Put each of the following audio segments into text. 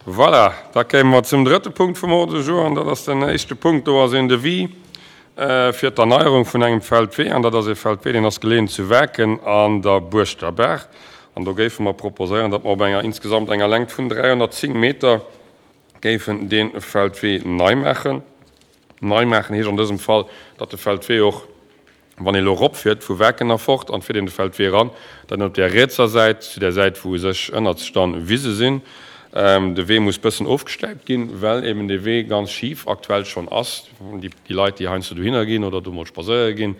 Voilà, da kéime mer zum drëtte Punkt vum Ordre du jour, an dat ass den éischte Punkt. Do ass een Devis fir d'Erneierung vun engem Feldwee, an dat ass ee Feldwee, deen ass geleeën zu Waarken an der Buerschterbaach. An do géife mer proposéieren, datt mer op enger insgesamt enger Längt vun 310 Meter géifen dee Feldwee nei maachen. Nei maachen heescht an dësem Fall, datt de Feldwee och Wann ee elo eropfiert vu Waarken erfort an fiert een de Feldwee eran, dann op där rietser Säit, zu där Säit wou u sech ënnerts dann Wise sinn, de Wee muss bëssen ofgestäipt ginn, well eben dee Wee ganz schif aktuell schonn ass. Déi Leit déi heiansdo dohinner ginn oder do mol spadséiere ginn,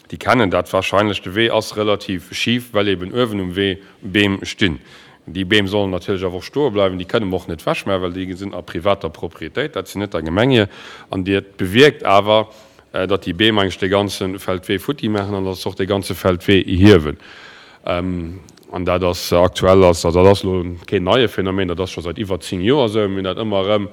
déi kennen dat wahrscheinlech, de Wee ass relativ schif, well eben uewen um Wee Beem stinn. Déi Beem sollen natierlech awer och stoe bleiwen, déi kënne mer och net wechmaachen, well déi sinn a privater Propriétéit, dat sinn net der Gemeng hir. An dat bewierkt awer, datt déi Beem eigentlech dee ganze Feldwee futti maachen an datt se och dee ganze Feldwee hiewen. An dat ass aktuell, ass, also dat ass elo keen neie Phänomen, dat ass scho säit iwwer 10 Joer esou. Mir hunn dat ëmmer erëm,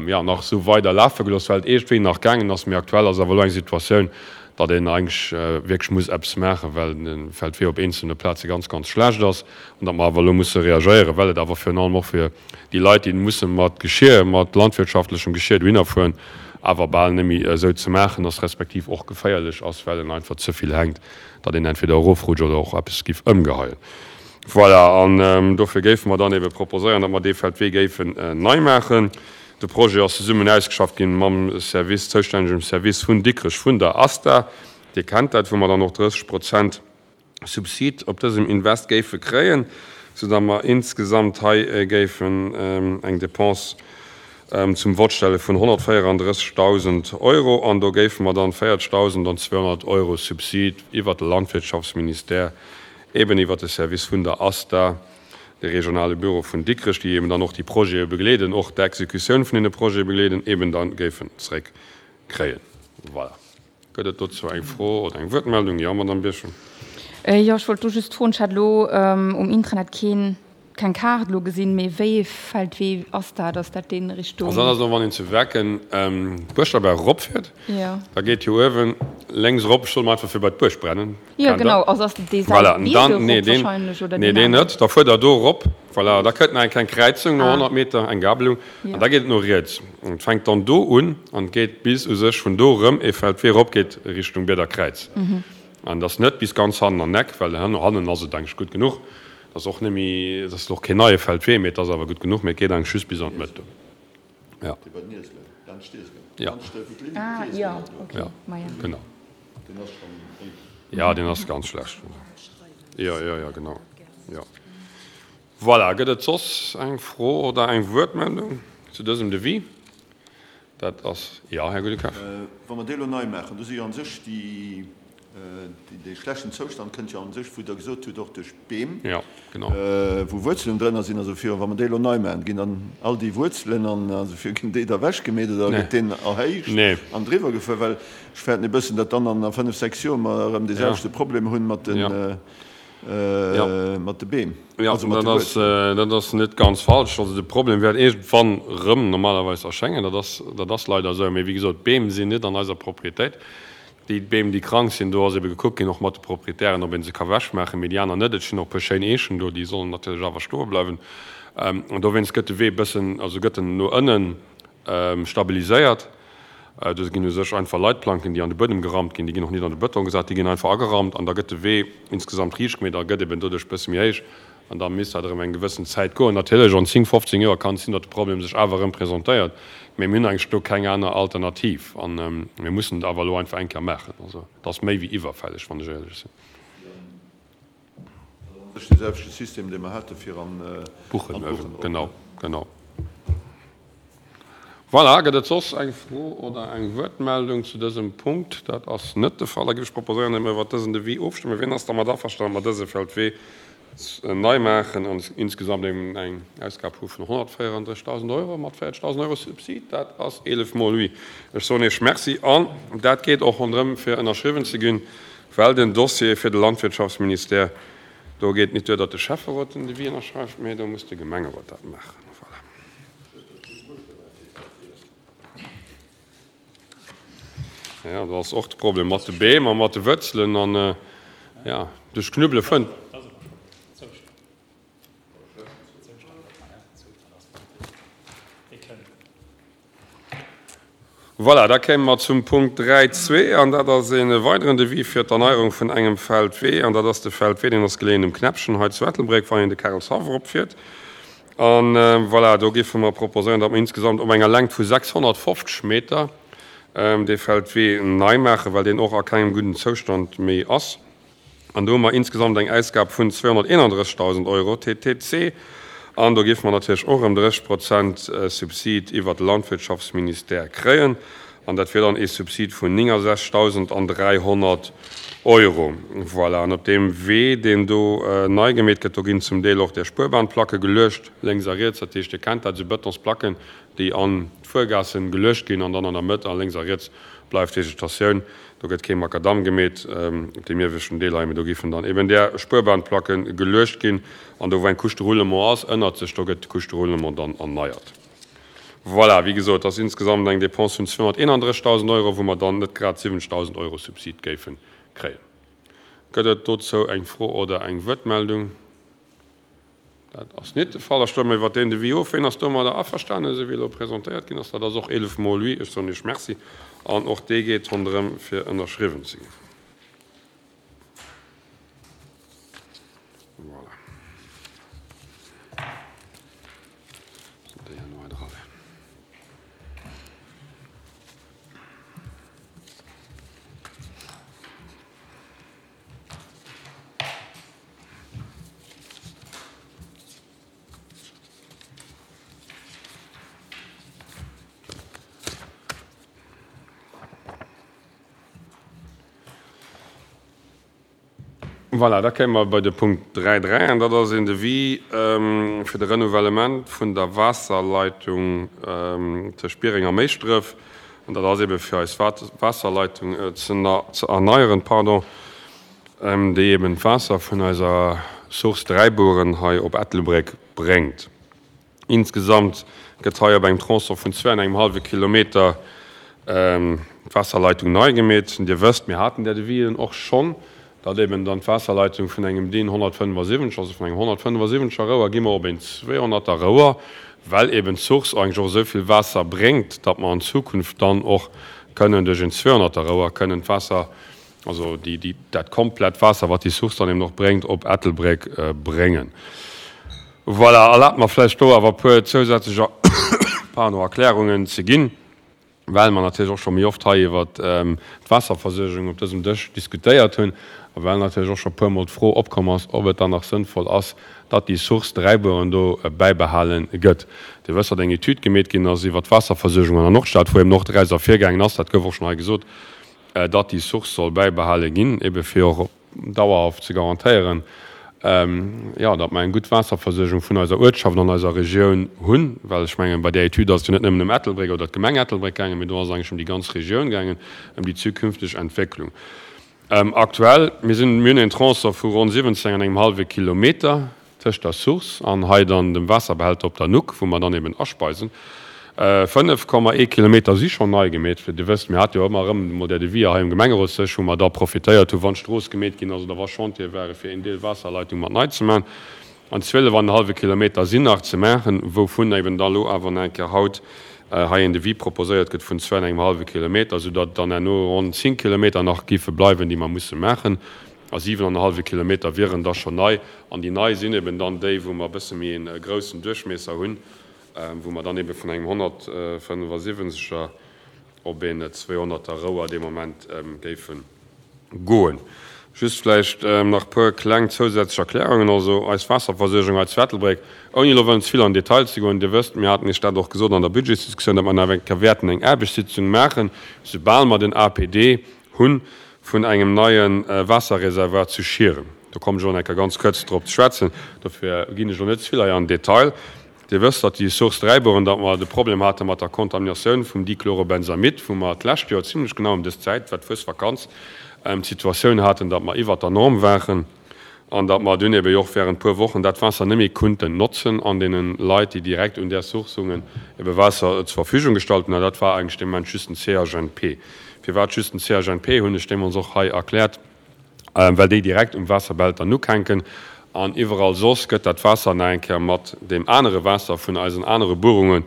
jo, nach esou weider lafe gelooss, well et iergendwéi nach gaangen ass. Mee aktuell ass awer elo eng Situatioun, datt een eigentlech wierklech muss eppes maachen, well de Feldwee op eenzelne Plaze ganz, ganz schlecht ass an datt mer awer elo musse reagéieren, well et awer virun allem och fir déi Leit, déi musse mat Geschir, mat landwirtschaftlechem Geschir dohinner fueren, awer bal net méi esou ze maachen ass, respektiv och geféierlech ass, well en einfach ze vill hänkt, datt een entweder erofrutscht oder och eppes giff ëmgeheien. Voilà, an dofir géife mer dann ebe proposéieren, datt mer dee Feldwee géifen nei maachen. De Projet ass zesummen ausgeschafft ginn mam Service, zoustännegem Service vun Dikrech vun der ASTA. Dir kennt dat, wou mer dann och 30 Prozent Subsid op dësem Invest géife kréien, soudatt mer insgesamt hei géifen eng Dépense zum Vott stelle vun 134.000 Euro an do géife mer dann 40.200 Euro Subsid iwwert de Landwirtschaftsministère, eben iwwert de Service vun der ASTA, de regionale Büro vun Dikrech, déi eben dann och déi Projete begleeden, och d'Exekutioun vun deene Projete begleeden, eben da géifen zréckkréien. Voilà. Gëtt et dozou eng Fro oder eng Wuertmeldung? Jo, Madamm Birchen. Jo, ech wollt do just froen, ech hat elo um Intranet keen, keng Kaart elo gesinn, mee wéi ee Feldwee ass dat? Ass dat deen Richtung. Also dat ass elo, wann een zu Wecken d'Buerschterberg eropfiert, da geet jo uewen lénks erop, ech soe mol einfach fir bei d'Buerg brennen, Jo, genau, also ass dat dee Voilà, an dann, nee, deen, wahrscheinlech, oder nee, deen net, da fuert Der do erop, voilà, da kënnt nach eng kleng Kräizung no 100 Meter, eng Gabelung, an da geet et no riets. An et fänkt dann do un an geet bis u sech vun do erëm ee Feldwee erop geet Richtung Bieder Kräiz. An et ass net bis ganz hannen an Eck, well hannen ass et eigentlech gutt genuch. Et ass och net méi, et ass och keen neie Feldwee, mee et ass awer gutt genuch, mee et geet eigentlech just bis an d'Mëtt do. Ja. Ja. Ja, genau. Ja, deen ass ganz schlecht. Ja, ja, ja, genau. Ja. Voilà, gëtt et soss eng Fro oder eng Wuertmeldung zu dësem Devis? Dat ass, jo, Här Goudekopf. Wa mer dee elo nei maachen, do si jo a sech déi, dee schlechten Zoustand kënnt jo a sech, wou Der gesot hutt, och duerch d'Beem, wou Wuerzelen drënner sinn a sou virun. Wa mer déi elo nei maachen, ginn dann all déi Wuerzelen an esou vir, ginn déi da ewechgemeet oder gëtt deen erhéicht an driwwer gefuer? Well ech fäerten e bëssen, datt dann an fënnef, sechs Joer mer erëm dee selwechte Problem hunn mat den, mat de Beem, also mat de Wuerzelen. Dat ass net ganz falsch. Also de Problem wäert iergendwann erëm normalerweis erschéngen. Dat ass, dat ass leider esou. Mee wéi gesot, d'Beem sinn net an eiser Proprietéit. Déi Beem, déi krank sinn, do ass ebe gekuckt ginn, och mat de Proprietären, ob ee se ka wechmaachen, mee déi aner net. Et stinn och e puer schéin Eechen do, déi sollen natierlech awer stoe bleiwen. An dowéinst gëtt de Wee e bëssen, also gëtt en no ënnen stabiliséiert. Do ginn u sech einfach Leitplanken, déi an de Buedem gerammt ginn, déi ginn och nit an de Bëtong gesat, déi ginn einfach agerammt an da gëtt de Wee insgesamt riicht gemeet a gëtt eben doduerch e bësse méi héich an da misst dat erëm eng gewëssen Zäit goen. Natierlech, an 10, 15 Joer kann et sinn, datt de Problem sech awer erëm presentéiert, mee mir hunn eigentlech do keng aner Alternativ a mir mussen et awer elo einfach eng Kéier maachen. Also et ass méi wéi iwwerfälleg, wann ech éierlech sinn. Dat ass dee selwechte System, dee mer hate fir an d'Buchen. Genau, genau. Voilà, gëtt et soss eng Fro oder eng Wuertmeldung zu dësem Punkt? Dat ass net de Fall. Da géif ech proposéieren, datt mir iwwert dësen Devis ofstëmmen. Wien ass dermat averstanen, datt mer dëse Feldwee nei maachen an insgesamt eben eng Ausgab hu vun 134.000 Euro mat 40.000 Euro Subsid? Dat ass 11 mol oui. Ech soen Iech Merci an dat geet och ronderëm fir ënnerschriwwen ze ginn. Well den Dossier fir de Landwirtschaftsministère, do geet et nit duer, datt de Schäfferot den Devis ënnerschreift, mee do muss de Gemengerot dat maachen. Voilà. Jo, do ass och de Problem mat de Beem a mat de Wuerzelen an, jo, duerch Knubbele fënnt. Voilà, da kéime mer zum Punkt 3.2, an dat ass e weideren Devis fir d'Erneierung vun engem Feldwee. An dat ass de Feldwee, deen ass geleeën um Knäppchen hei zu Ettelbréck, wann een de Karelshaff eropfiert. A voilà, do géife mer proposéieren, datt mer insgesamt op enger Längt vu 650 Meter dee Feldwee nei maachen, well deen och a kengem gudden Zoustand méi ass. An do hu mer insgesamt eng Ausgab vun 231.000 Euro TTC. An do géife mer natierlech och erëm 30 Prozent Subsid iwwert de Landwirtschaftsministère kréien. An dat wier dann ee Subsid vun 69.300 Euro. Voilà. An op deem Wee, deen do nei gemeet gëtt, do ginn zum Deel och där Spuerbahnplacke geluecht, lénks a riets. Dat heescht, Dir kennt dat, esou Bëtonsplacken, déi an d'Fuergaassen geluecht ginn an dann an der Mëtt a lénks a riets bleift Vegetatioun. Do gëtt kee Makadamm gemeet op deem ieweschten Deel hei, mee do géifen dann eben där Spuerbahnplacke geluecht ginn. An do wou eng Couche de roulement ass ënnert sech, do gëtt d'Couche de roulement dann erneiert. Voilà, wéi gesot, dat ass insgesamt eng Dépense vun 231.000 Euro, wou mer dann net grad 70.000 Euro Subsid géife kréien. Gëtt et dozou eng Fro oder eng Wuertmeldung? Dat ass nit de Fall. Da stëmme mer iwwert deen Devis of. Ween ass domadder averstanen, esou wéi elo presentéiert ginn ass? Dat ass och 11 mol oui. Ech soen Iech Merci. An och dee geet ronderëm, fir ënnerschriwwen ze ginn. Voilà. Déi herno hei dra wär. Voilà, da kéime mer bei de Punkt 3.3, an dat ass een Devis fir de Renouvellement vun der Waasserleitung tëscht Biereng a Méischdref. An dat ass eebe fir eis Waasserleitung ze erneieren, pardon, déi eeben d'Waasser vun eiser Source Dräiburen hei op Ettelbréck bréngt. Insgesamt gëtt hei op engem Tronçon vun zwee an engem hallwe Kilometer d'Waasserleitung nei gemeet. Dir wësst, mir haten där Devisen och schonn, datt eben dann d'Waasserleitung vun engem DIN 175, also vun engem 175er Rouer, gi mer op een 200er Rouer, well eben d'Source eigentlech och esou vill Waasser bréngt, datt mer an Zukunft dann och kënnen duerch een 200er Rouer kënnen d'Waasser, also déi, déi, dat komplett Waasser, wat déi Source dann eben och bréngt, op Ettelbréck bréngen. Voilà, erlaabt mer vläicht do awer e puer zousätzlech, pardon, Erklärungen ze ginn. Well mer natierlech och scho méi oft hei iwwert d'Waasserversuergung op dësem Dësch diskutéiert hunn a well natierlech och scho puer Mol d'Fro opkomm ass, ob et dann nach sënnvoll ass, datt déi Source Dräibueren do bäibehale gëtt. Dir wësst, datt eng Etüd gemeet ginn ass iwwert d'Waasserversuergung an der Nordstad, wou eben och draus ervirgaangen ass, dat gouf och schonn hei gesot, datt déi Source soll bäibehale ginn, ebe fir och op dauerhaft ze garantéieren, jo, datt mer eng gutt Waasserversuergung vun eiser Uertschaft an eiser Regioun hunn, well ech mengen, bei där Etüd ass et jo net nëmmen ëm Ettelbréck oder d'Gemeng Ettelbréck gaangen, mee do ass et eigentlech ëm déi ganz Regioun gaangen, ëm déi zukünfteg Entwécklung. Aktuell, mir sinn, mir hunn en Tronçon vu ronn 17 an engem hallwe Kilometer, Tëscht der Source an hei dann dem Waasserbehälter op der Nuck, wou mer dann eben aspeisen. 5,1 Kilometer si schonn nei gemeet. Dir wësst, mir hate jo ëmmer erëm emol där Deviser hei um Gemengerotsdësch, wou mer da profitéiert hu wann d'Strooss gemeet ginn ass oder wa Chantiere ware fir een Deel Waasserleitung mat nei ze maachen. An 12 an en hallwe Kilometer sinn nach ze maachen, wouvun eben da lo awer nach eng Kéier haut hei een Devis proposéiert gëtt vun zwou an engem hallwe Kilometer, soudatt dann herno ronn 10 Kilometer nach géife bleiwen, déi mer musse maachen. A 7 an e hallwe Kilometer wieren da schonn nei. An déi nei sinn eben dann déi, wou mer e bësse méi e groussen Duerchmiesser hunn, wou mer dann ebe vun engem 175er op een 200er Rouer dee Moment géife goen. Just vläicht nach e puer kleng zousätzlech Erklärungen. Also eis Waasserversuergung hei zu Ettelbréck, ouni elo wëllen ze vill an den Detail ze goen, Dir wësst, mir haten Iech dat och gesot an der Budgetsdiskussioun, datt mer nach eng Kéier wäerten eng Aarbechtssitzung maachen, soubal mer den APD hunn, vun engem neie Waasserreservoir zu Schieren. Do kommen ech och nach eng Kéier ganz kuerz drop ze schwätzen. Dofir ginn ech elo net ze vill hei an den Detail. Dir wësst, datt déi Source Dräibueren, datt mer de Problem hate mat der Kontaminatioun vum Dichlorobenzamid, wou mer d'lescht Joer zimlech genau ëm dës Zäit, war d'Fuesvakanz, d'Situatioun haten, datt mer iwwert der Norm waren. An datt mer dunn ebe och während puer Wochen dat Waasser net méi kunnten notzen an deene Leit, déi direkt un där Source hungen, ebe Waasser zur Verfügung gestallt hunn. An dat war eigentlech dee Moment just den CHNP. Firwat just den CHNP, hunn ech deemools och hei erkläert, well déi direkt um Waasserbehälter nukhänken an iwwerall soss gëtt dat Waasser nach eng Kéier mat deem anere Waasser vun eisen anere Buerunge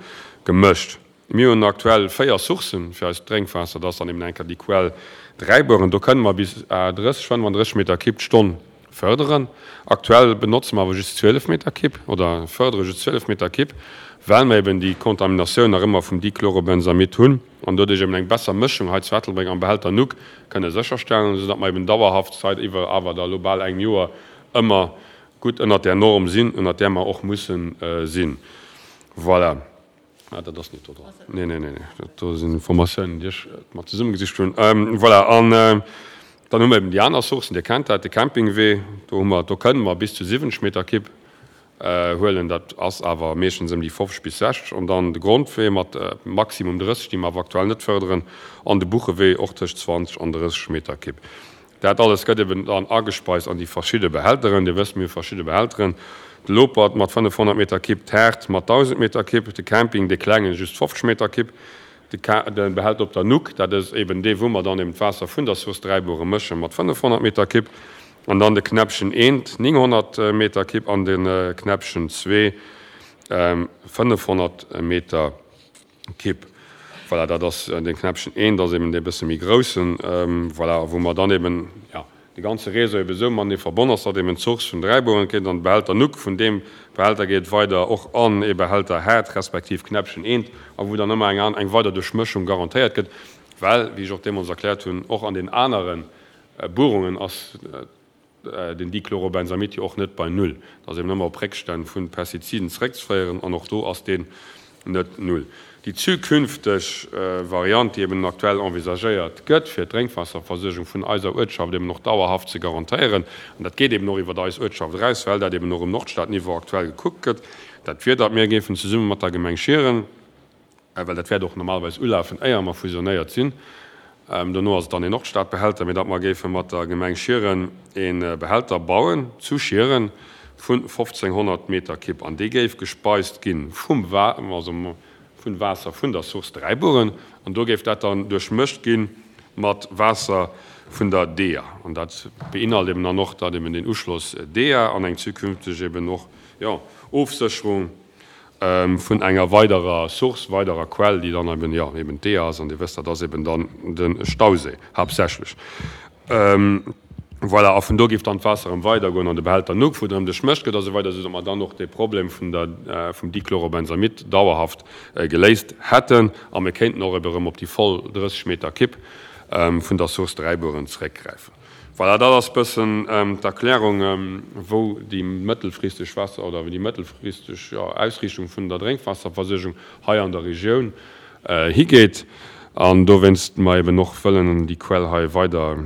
gemëscht. Mir hunn aktuell 4 Sourcen fir eist Drénkwaasser. Dat ass dann eben eng Kéier déi Quell Dräibueren. Do kënne mer bis 30, 35 Meter Kibb d'Stonn fërderen. Aktuell benotze mer awer just 12 Meter Kibb oder fërdere just 12 Meter Kibb, well mer eben déi Kontaminatioun nach ëmmer vum Dichlorobenzamid hunn an doduerch eben eng besser Mëschung hei zu Ettelbréck am Behälter Nuck kënne sécherstellen, esou datt mer eben dauerhaft seit iwwer awer da elo bal engem Joer ëmmer gutt ënnert där Norm sinn, ënnert där mer och mussen sinn. Voilà. Ah, dat ass net do dran. Nee, nee, nee, nee. Dat do sinn Informatiounen, déi ech mat zesummegesicht hunn. Voilà, an dann hu mer eben déi aner Sourcen, Dir kennt dat, de Campingwee, do hu mer, do kënnen mer bis zu 70 Meter Kibb huelen, dat ass awer meeschtens ëm déi 50 bis 60. An dann de Grondwee mat maximum 30, déi mer awer aktuell net fërderen, an de Buchewee och tëscht 20 an 30 Meter Kibb. Dat alles gëtt eben dann agespeist an déi verschidde Behälteren. Dir wësst, mir hu verschidde Behälteren, de Lopert mat 500 Meter Kibb, d'Haard mat 1.000 Meter Kibb, de Camping, dee klengen, just 50 Meter Kibb, de Behälter op der Nuck, dat ass eben dee wou mer dann eben d'Waasser vun der Source Dräibuere mëschen, mat 500 Meter Kibb, an dann de Knäppchen eent, 900 Meter Kibb, an de Knäppchen zwee, 500 Meter Kipp. Voilà, dat ass dee Knäppchen eent, ass eben dee bësse méi groussen, voilà, a wou mer dann eben, jo, de ganze Réseau eben esou matenee verbonn ass, datt eben d'Source vun Dräibueren geet an de Behälter Nuck, vun deem Behälter geet et weider och an ee Behälter Haard respektiv Knäppchen eent, a wou dann ëmmer eng eng weider Duerchmëschung garantéiert gëtt, well, wéi ech och deemools erkläert hunn, och an den anere Buerungen ass den Dichlorobenzamid jo och net bei Null. Dat ass eben ëmmer op Réckstänn vu Pestiziden zeréckzeféieren an och do ass deen net Null. Déi zukünfteg Variant, déi eben aktuell envisagéiert gëtt, fir d'Drénkwaasserversuergung vun eiser Uertschaft eben och dauerhaft ze garantéieren, an dat geet eben och iwwert eis Uertschaft eraus, well dat eben och um Nordstadniveau aktuell gekuckt gëtt, dat wier, datt mir géifen zesumme mat der Gemeng Schieren, well dat wäert och normalerweis ulafen, éier mer fusionéiert sinn, dono ass et dann een Nordstadbehälter, mee datt mer géife mat der Gemeng Schieren ee Behälter bauen zu Schieren vu 1.500 Meter Kibb an dee géif gespeist gi vum also vun Waasser vun der Source Dräibueren an do géif dat dann duerchmëscht gi mat Waasser vun der DEA an dat beinhalt eben dann och, datt eben deen Uschloss DEA an eng zukünfteg eben och, jo, Ofsécherung vun enger weiderer Source, weiderer Quell, déi dann eben, jo, eben d'Eeër ass, an Dir wësst, dat ass eben dann de Stauséi haaptsächlech. Voilà, a vun do géif dann d'Waasser erëm weidergoen an de Behälter Nuck, wou et erëm duerchmëscht gëtt a sou weider, esou datt mer dann och dee Problem vun der, vum Dichlorobenzamid dauerhaft geléist hätten a mir kéinten och eben erëm op déi voll 30 Meter Kibb vun der Source Dräibueren zeréckgräifen. Voilà, dat ass bëssen d'Erklärung, wou déi mëttelfristeg Waasser oder déi mëttelfristeg, jo, Ausriichtung vun der Drénkwaasserversuergung hei an der Regioun higeet. An dowéinst mer eben och wëllen déi Quell hei weider,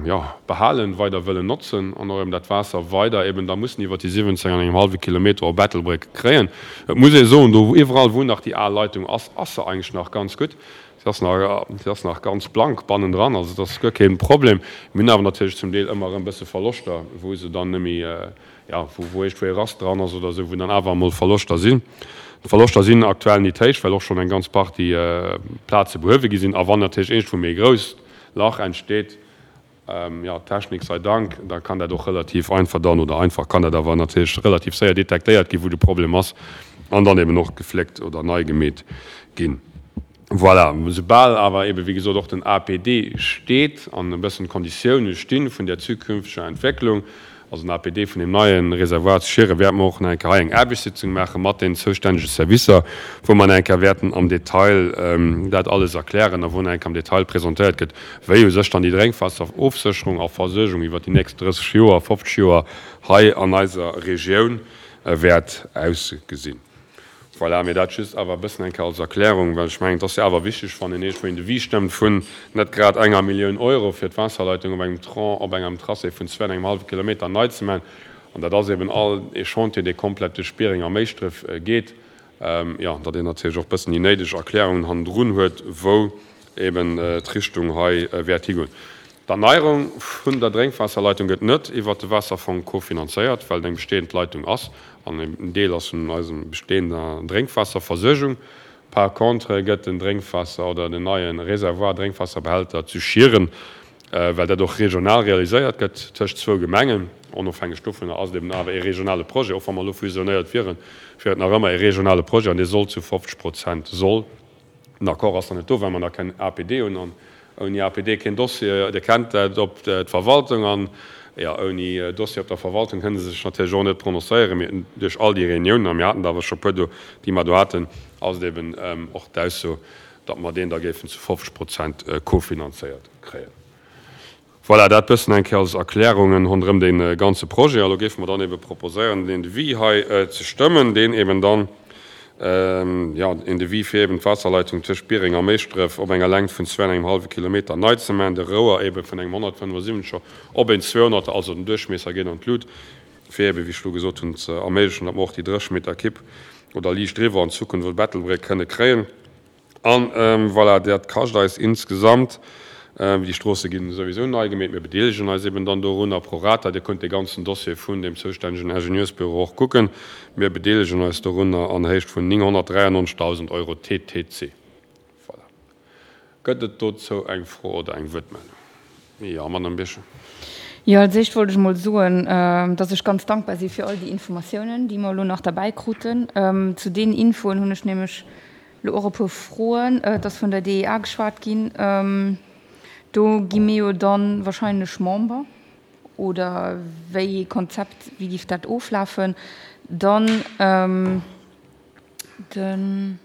jo, behalen, weider wëllen notzen an och eben dat Waasser weider eben da mussen iwwert déi 17 an engem hallwe Kilometer op Ettelbréck kréien. Et muss ee soen, do iwwerall wou nach déi al Leitung ass, ass se eigentlech nach ganz gutt. Se ass nach, se ass nach ganz blank bannendran, also et ass guer kee Problem. Mir hunn awer natierlech zum Deel ëmmer erëm e bësse Verloschter, wou se dann net méi, jo, wou, wou iergendwou e Rast dran ass oder esou, wou dann awer emol Verloschter sinn. D'Verloschter sinn aktuell nit héich, well och schonn eng ganz Partie Plaze behuewe gi sinn. A wann natierlech iergendwou méi e grousst Lach entsteet, Jo, Technik sei Dank, da kann dat och relativ einfach dann, oder einfach kann dat awer natierlech relativ séier detektéiert ginn, wou de Problem ass, an dann eben och gefléckt oder nei gemeet ginn. Voilà, soubal awer eben, wéi gesot, och den APD steet an e bëssen d'Konditioune sti vun där zukünfteger Entwécklung, also den APD vun deem neie Reservoir zu Schieren, wäerte mer och nach eng Kéier hei eng Aarbechtssitzung maache mat den zoustännege Servicer, wou mer nach eng Kéier wäerten am Detail dat alles erklären a wou nach eng Kéier am Detail presentéiert gëtt, wéi u sech dann déi Drénkwaasserofsécherung a Versuergung iwwert déi nächst 30 Joer, 50 Joer hei an eiser Regioun wäert ausgesinn. Voilà, mee dat just awer e bëssen eng Kéier als Erklärung, well ech mengen, et ass jo awer wichteg, wann een iergendwou een Devis stëmmt vun net grad enger Millioun Euro fir d'Waasserleitung op engem Tronc, op engem Tracé vun zwee an engem hallwe Kilometer nei ze maachen, an dat ass eben all ee Chantier, dee komplett duerch Biereng a Méischdref geet, jo, datt een natierlech och e bëssen déi néideg Erklärungen hannendrun huet, wou eben d'Richtung hei wäert higoen. D'Erneierung vun der Drénkwaasserleitung gëtt net iwwert de Waasserfong kofinanzéiert, well et eng bestehend Leitung ass an en Deel ass vun eisem bestehender Drénkwaasserversuergung. Par contre gëtt den Drénkwaasser oder den neie Reservoir, Drénkwaasserbehälter zu Schieren, well dat och regional realiséiert gëtt tëscht zwou Gemengen, onofhängeg dovunner ass et eben awer ee regionale Projet, och wa mer elo fusionéiert wieren, wier et nach ëmmer ee regionale Projet an dee soll zu 50 Prozent soll. Den Accord ass nach net do, well mer nach keng APD hunn. An ouni APD keen Dossier, Dir kennt dat, op d'Verwaltung. An, jo, ouni Dossier op der Verwaltung kënne se sech natierlech och net prononcéieren. Mee duerch all déi Reuniounen, a mir haten der awer scho e puer do, déi mer do haten, ass et eben och d'Ausso, datt mer deen da géifen zu 50 Prozent cofinanzéiert kréien. Voilà, dat bëssen eng Kéier als Erklärungen ronderëm dee ganze Projet. A lo géife mer dann ebe proposéieren, deen Devis hei ze stëmmen, deen eben dann, jo, een Devis fir eben d'Waasserleitung tëscht Biereng a Méischdref op enger Längt vun zwou an engem hallwe Kilometer nei ze maachen, de Rouer ebe vun engem 175er op een 200er, also den Duerchmiesser geet an d'Lut, fir ebe, wéi ech elo gesot hunn, ze erméiglechen, datt mer och déi 30 Meter Kipp oder liicht driwwer an Zukunft op Ettelbréck kënne kréien. An voilà, dat kascht eis insgesamt, déi Stroosse ginn souwisou nei gemeet, mir bedeelegen eis eben dann dorunner pro rata, Dir kënnt dee ganzen Dossier vun deem zoustännegen Ingenieursbüro och kucken, mir bedeelegen eis dorunner an Héicht vun 993.000 Euro TTC. Voilà. Gëtt et dozou eng Fro oder eng Wuertmeldung? Jo, Madame Birchen. Jo, als éischt wollt ech emol soen, dass ech ganz dankbar si fir all déi Informatiounen, déi mer elo nach derbäi kruten. Zu deenen Infoen hunn ech nämlech Lo och e puer Froen. Et ass vun der DEA geschwat ginn. Do gi mir jo dann wahrscheinlech Member, oder wéi ee Konzept, wéi giff dat oflafen? Dann den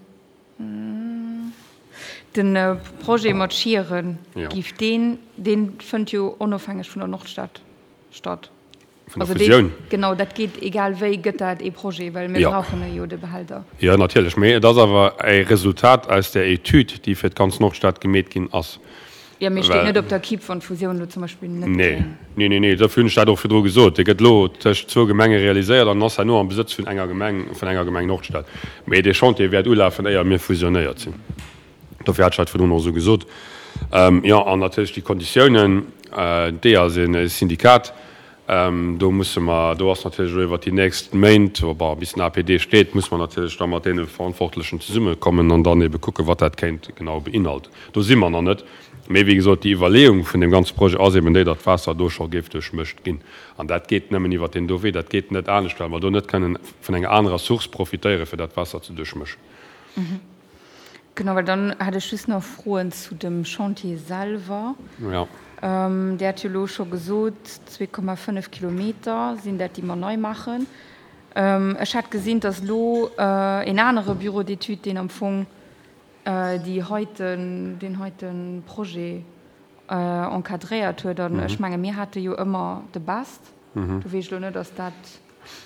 de Projet mat Schieren, giff deen, dee fënnt jo onofhängeg vun der Nordstad statt. Vun der Fusioun? Genau, dat geet egal wéi, gëtt dat ee Projet, well mir brauchen e jo, de Behälter. Jo, natierlech, mee et ass awer e Resultat aus där Etüd, déi fir d'ganz Nordstad gemeet ginn ass. Jo, mee steet net op der Kipp, wann d'Fusioun elo zum Beispill net Nee, kéim? nee, nee, nee, dofir hunn ech dat och virdru gesot. Dee gëtt elo tëscht zwou Gemenge realiséiert an ass herno am Besëtz vun enger Gemeng, vun enger Gemeng Nordstad. Mee dee Chantier wäert ulafen, éier mir fusionéiert sinn. Dofir hat ech dat virdrun och esou gesot. Jo, an natierlech déi Konditiounen, d'EA ass e Syndikat, do musse mer, do ass natierlech elo iwwert déi nächst Méint, bon, bis den APD steet, muss mer natierlech da mat deene Verantwortlechen zesummekommen an dann ebe kucken, wat dat kéint genau beinhalten. Do si mer nach net. Mee wéi gesot, déi Iwwerleeung vun deem ganze Projet ass eben déi, datt d'Waasser do scho géif duerchmëscht ginn. An dat geet nëmmen iwwert deen do Wee, dat geet net anescht, well mer do net kënnen vun enger anerer Source profitéieren, fir dat Waasser ze duerchmëschen. Genau, well dann hätt ech just nach Froen zu dem Chantier selwer. Ja. Dir hat jo elo scho gesot, 2,5 Kilometer sinn dat, déi mer nei maachen. Ech hat gesinn, dass elo en anere Bureau d'études, deen am Fong déi heiten, deen heite Projet encadréiert huet. An ech menge mir hate jo ëmmer de Best. Do weess ech elo net, ass dat.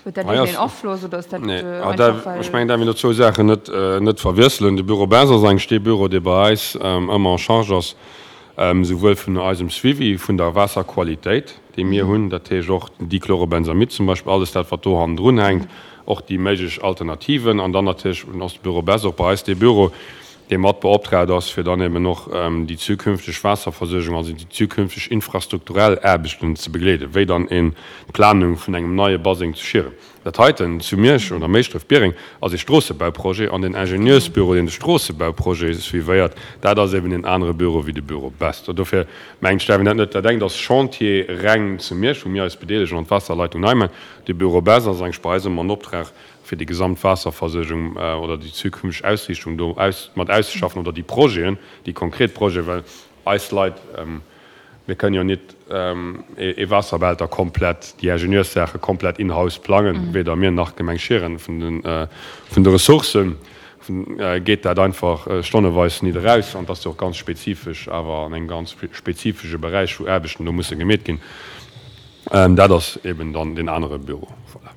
Huet dat iergendeen Afloss oder ass dat einfach well. Ech mengen, dat mir do zwou Saachen net net verwiesselen. De Bureau Bes ass eigentlech dee Bureau, dee bei eis ëmmer en charge ass, souwuel vun eisem Suivi vun der Waasserqualitéit, déi mir hunn, dat heescht och den Dichlorobenzamid zum Beispill, alles dat, wat do hannendrun hänkt, och déi méiglech Alternativen. An dann natierlech ass de Bureau Bes och bei eis dee Bureau, dee mat beoptraagt ass, fir dann eben och déi zukünfteg Waasserversuergung, also déi zukünfteg infrastrukturell Aarbechten ze begleeden, wéi dann een d'Planung vun engem neie Baseng zu Schieren. Dat heiten zu Miersch oder Méischdref-Biereng ass ee Stroossebauprojet an den Ingenieursbüro, deen de Stroossebauprojet suivéiert, dat ass eben een anere Büro wéi de Büro Best. Dofir mengt ech, däerf een dat net, dat engt ass Chantier reng zu Miersch, wou mir eis bedeelegen an d'Waasserleitung nei maachen. De Büro Best ass eigentlech bei eis ëmmer en Optrag, fir déi gesamt Waasserversuergung oder déi zukünfteg Ausriichtung do mat auszeschaffen oder déi Projeten, déi konkret Projeten, well eis Leit, mir kënnen jo nit ee Waasserbehälter komplett, déi Ingenieurssaache komplett in-house plangen, weder mir nach d'Gemeng Schieren. Vun de Ressourcen geet dat einfach stonneweis nit eraus an et ass jo och ganz spezifesch awer an engem ganz spezifesche Beräich, wou Aarbechten do musse gemeet ginn. Dat ass eben dann deen anere Büro. Voilà.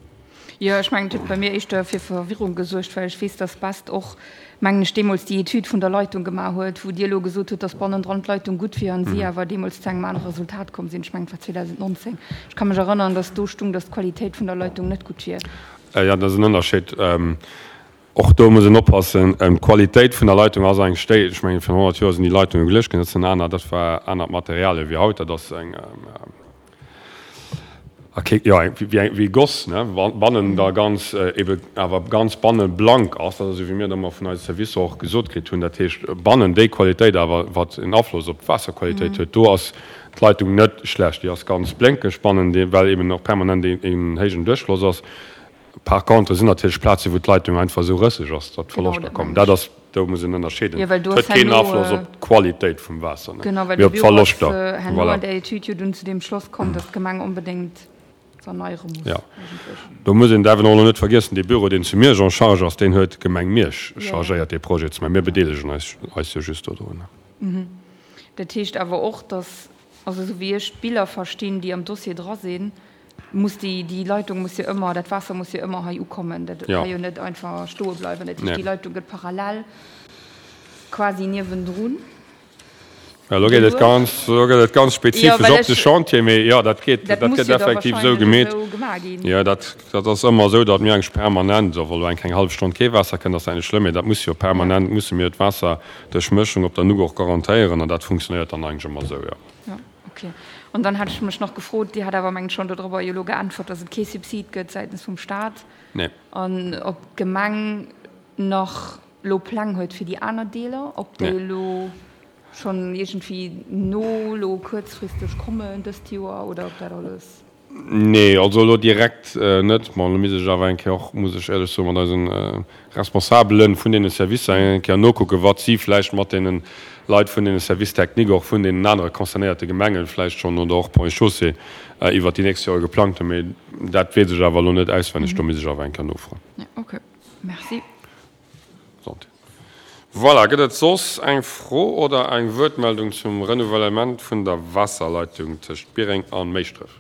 Jo, ech mengen, et huet bei mir éischter fir Verwirrung gesuergt, well ech weess, dass Best och, mengen ech, deemools déi Etüd vun der Leitung gemaach huet, wou Dir elo gesot hutt, dass bannendran d'Leitung gutt wier an si awer deemools zu engem anere Resultat komm sinn. Ech mengen, et war 2019. Ech ka mech erënnern, dass do stung, dass d'Qualitéit vun der Leitung net gutt wier. Jo, dat ass en Ënnerscheed. Och do muss een oppassen. D'Qualitéit vun der Leitung ass eigentlech déi, ech mengen, virun 100 Joer sinn déi Leitunge geluecht ginn, dat sinn aner, dat war anert Materialien wéi haut. Dat ass eng, jo, wéi eng, wéi Goss, ne, bannen da ganz, ebe awer ganz banne blank ass. Dat ass esou, wéi mir et ëmmer vun eise Servicer och gesot kritt hunn. Dat heescht, bannen déi Qualitéit awer, wat en Afloss op d'Waasserqualitéit huet, do ass d'Leitung net schlecht. Déi ass ganz blénkeg bannen, well eben och permanent een héijen Duerchfloss ass. Par contre sinn natierlech Plazen, wou d'Leitung einfach esou rësseg ass, datt Verloschter kommen. Dat ass, do muss een ënnerscheeden. Jo, well do Et ass huet keen herno, Afloss op d'Qualitéit vum Waasser, ne, genau, well mee de op Büro ass d'Verloschter. herno Voilà. an där Etüd jo dunn zu deem Schloss komm, datt d'Gemeng onbedéngt s'erneiere muss Jo, eigentlech. do muss een därf een och elo net vergiessen, dee Büro, deen zu Miersch en charge ass, deen huet d'Gemeng Miersch Jo, jo. chargéiert, dee Projet ze maachen. Mir bedeelegen eis eis jo just dodrun. Dat heescht awer och, datt, also esou wéi ech d'Biller verstinn, déi am Dossier dra sinn, muss déi, déi Leitung muss jo ëmmer, dat Waasser muss jo ëmmer hei ukommen, dat ka jo net einfach stoe bleiwen. Dat heescht, déi Leitung gëtt parallel quasi niewendrun Ja, elo geet et ganz, elo gëtt et ganz spezifesch op de Chantier, mee jo, dat geet, Dat dat muss gëtt jo da effektiv esou wahrscheinlech gemeet. esou gemaach ginn. Jo, dat, dat ass ëmmer esou, datt mir eigentlech permanent, wa elo eng keng hallef Stonn kee Waasser kënnt, ass dat net schlëmm, mee dat muss jo permanent, musse mir d'Waasserduerchmëschung op der Nuck och garantéieren an dat funktionéiert dann eigentlech ëmmer esou, jo. Jo, okay. An dann hat ech mech nach gefrot, Dir hat awer mengen schonn dodrobber jo elo geäntwert, datt et kee Subsid gëtt säitens vum Staat. Nee. An ob d'Gemeng nach elo Pläng huet fir déi aner Deeler, ob déi Nee. elo schonn iergendwéi no elo kuerzfristeg kommen dëst Joer oder ob dat alles. Nee, also elo direkt net. Bon, elo misst ech awer eng Kéier och, muss ech éierlech soen, mat eise Responsabele vun deene Servicer eng Kéier nokucken, wat si vläicht mat deene Leit vun deene Services techniques och vun deenen anere concernéierte Gemenge vläicht schonn oder och Ponts et Chaussées iwwert déi nächst Jore geplangt hunn. Mee dat weess ech awer elo net auswenneg, do misst ech awer eng Kéier nofroen. Ja, okay. Merci. Santé. Voilà, gëtt et soss eng Fro oder eng Wuertmeldung zum Renouvellement vun der Waasserleitung tëscht Biereng a Méischdref?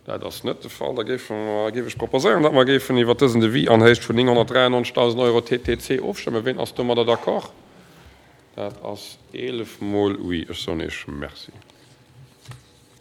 Dat ass net de Fall. Da géife mer, géif ech proposéieren, datt mer géifen iwwert dësen Devis an Héicht vun 993.000 Euro TTC ofstëmmen. Ween ass domadder d'accord? Dat ass 11 mol oui. Ech soen Iech Merci.